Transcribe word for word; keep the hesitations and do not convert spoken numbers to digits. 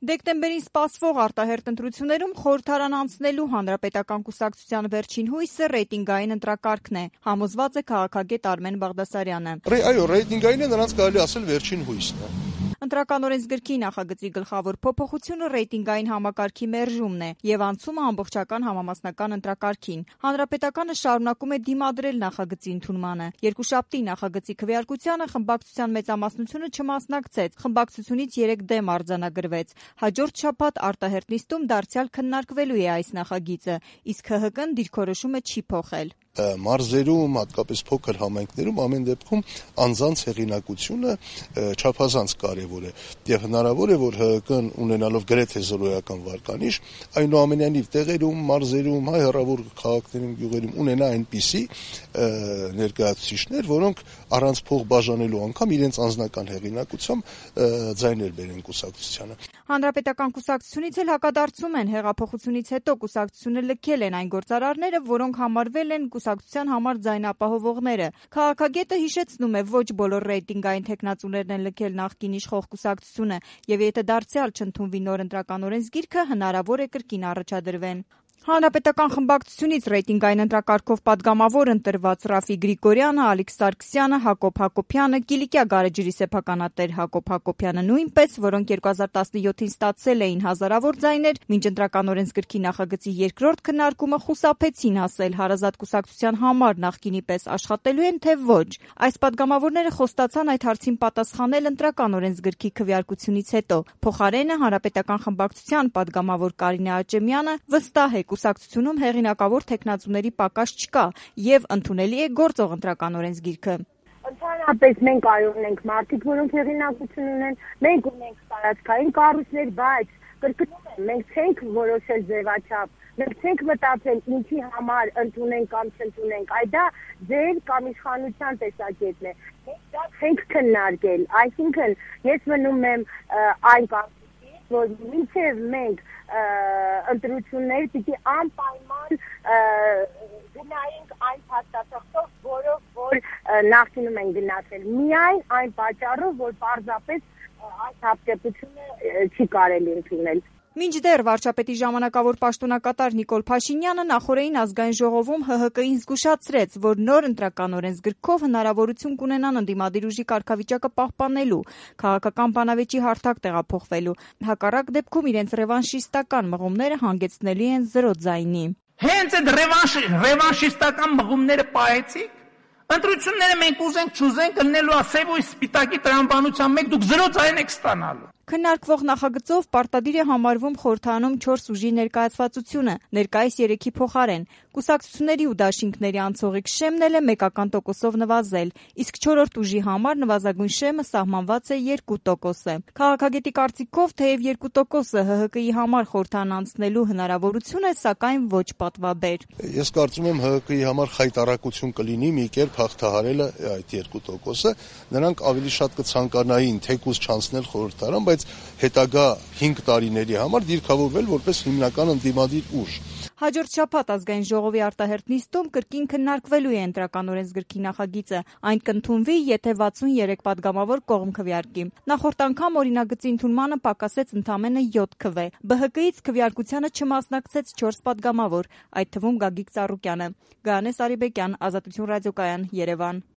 Դեկտեմբերին սպասվող արտահերթ ընտրություններում խորհրդարան անցնելու Հանրապետական կուսակցության վերջին հույսը ռեյտինգային ընտրակարգն է, համոզված է քաղաքագետ Արմեն Բաղդասարյանը։ Այո, ռեյտինգային է, նրանց կարելի ասել վերջին հույսն է։ Ընտրական օրենսգրքի նախագծի գլխավոր փոփոխությունը ռեյտինգային համակարգի մերժումն է եւ անցումը ամբողջական համամասնական ընտրակարգին։ Հանրապետականը շարունակում է դիմադրել նախագծի ընդունմանը։ Երկուշաբթի նախագծի քվեարկությանը խմբակցության մեծամասնությունը չմասնակցեց, խմբակցությունից երեք դեմ արձանագրվեց։ Հաջորդ շաբաթ արտահերթ նիստում դարձյալ քննարկվելու է այս նախագիծը, իսկ Հ Հ Կն դիրքորոշումը չի փոխել։ Մարզերում, հատկապես փոքր համայնքներում ամեն դեպքում անձանց հեղինակությունը չափազանց կարևոր է եւ հնարավոր է, որ Հ Հ Կն ունենալով գրեթե զրոյական վարկանիշ, այնուամենայնիվ տեղերում, մարզերում, հայ հեռավոր քաղաքներում, գյուղերում ունենա այնպիսի ներկայացուցիչներ, որոնք առանց փող բաժանելու անգամ իրենց անձնական հեղինակությամբ ձայներ բերեն կուսակցությանը։ Հանրապետական կուսակցությունից էլ հակադարձում են հեղափոխությունից հետո կուսակցությունը լքել են այն գործարարները, որոնք համարվել են կուսակցության համար ձայն ապահովողները։ Քաղաքագետը հիշեցնում է, ոչ բոլոր ռեյտինգային թեկնածուներն են լքել նախկին իշխող կուսակցությունը, եւ եթե դարձյալ չընդունվի նոր ընտրական օրենսգիրքը, հնարավոր է կրկին առաջադրվեն։ Հանրապետական խմբակցությունից ռեյտինգային ընտրակարգով պատգամավոր ընտրված Ռաֆի Գրիգորյանը, Ալիք Սարգսյանը, Հակոբ Հակոբյանը, Կիլիկիա գարեջրի սեփականատեր Հակոբ Հակոբյանը նույնպես, որոնք երկու հազար տասնյոթին ստացել էին հազարավոր ձայներ, մինչ ընտրական օրենսգրքի նախագծի երկրորդ քննարկումը խուսափեցին ասել հարազատ կուսակցության համար նախկինի պես աշխատելու են, թե ոչ։ Այս պատգամավորները խոստացան այդ հարցին պատասխանել ընտրական օրենսգրքի քվեարկությունից հետո։ Փոխարենը Հանրապետական խմբակցության պատգամավոր Կարինե Աճեմյանը վստահ է կուսակցությունում հեղինակավոր թեկնածուների պակաս չկա եւ ընդունելի է գործող ընտրական օրենսգիրքը։ Ընդհանրապես մենք այո ունենք մարդիկ, որոնք հեղինակություն ունեն, մենք ունենք տարածքային կառույցներ, բայց կրկնում եմ, մենք չենք որոշել ձևաչափ, մենք չենք մտածել ինչի համար ընդունենք կամ չընդունենք, այ դա ձեր կամ իշխանության տեսակետն է։ Մենք դա չենք քննարկել, այսինքն ես մնում եմ այն կարգին, որ մինչև մենք ընտրություններ պիտի անպայման գնայինք այն փաստաթղթով, որով որ նախկինում են գնացել, միայն այն պատճառով, որ պարզապես այս հապտեպությունը չի կարելի ընդունել։ Մինչդեռ վարչապետի ժամանակավոր պաշտոնակատար Նիկոլ Փաշինյանը նախորդին ազգային ժողովում Հ Հ Կին զգուշացրեց, որ նոր ընտրական օրենսգրքով հնարավորություն կունենան ընդդիմադիր ուժի կարգավիճակը պահպանելու, քաղաքական բանավեճի հարթակ տեղափոխվելու, հակառակ դեպքում իրենց ռևանշիստական մղումները հանգեցնելու են զրո ձայնի։ Հենց այդ ռևանշիստական մղումները պահեցիք, ընտրությունները մենք ուզենք չուզենք ելնելու է սև ու սպիտակի տրամաբանության մեջ, դուք զրո ձայն եք ստանալու։ Քննարկվող նախագծով պարտադիր է համարվում խորհրդարանում չորս ուժի ներկայացվածությունը, ներկայիս երեքի փոխարեն։ Կուսակցությունների ու դաշինքների անցողիկ շեմն էլ է մեկական տոկոսով նվազել, իսկ չորրորդ ուժի համար նվազագույն շեմը սահմանված է երկու տոկոսը։ Քաղաքագետի կարծիքով թեև երկու տոկոսը Հ Հ Կի համար խորհրդարան անցնելու հնարավորություն է, սակայն ոչ պատվաբեր։ Ես կարծում եմ Հ Հ Կի համար խայտառակություն կլինի մի կերպ հաղթահարելը այդ երկու տոկոսը, նրանք ավելի շատ կցանկանային թեկուզ չանցնել խորհրդարան, բայց հետագա հինգ տարիների համար դիրքավորվել որպես հիմնական ընդդիմադիր ուժ։ Հաջորդ շաբաթ ազգային ժողովի արտահերթ նիստում կրկին քննարկվելու է ընտրական օրենսգրքի նախագիծը։ Այն կընդունվի, եթե վաթսունյերեք պատգամավոր կողմ քվեարկի։ Նախորդ անգամ օրինագծի ընդունմանը պակասեց ընդամենը յոթ քվե։ Բը Հ Կից քվեարկությանը չմասնակցեց չորս պատգամավոր, այդ թվում Գագիկ Ծառուկյանը։ Գայանե Սարիբեկյան, Ազատություն ռադիոկայան, Երևան։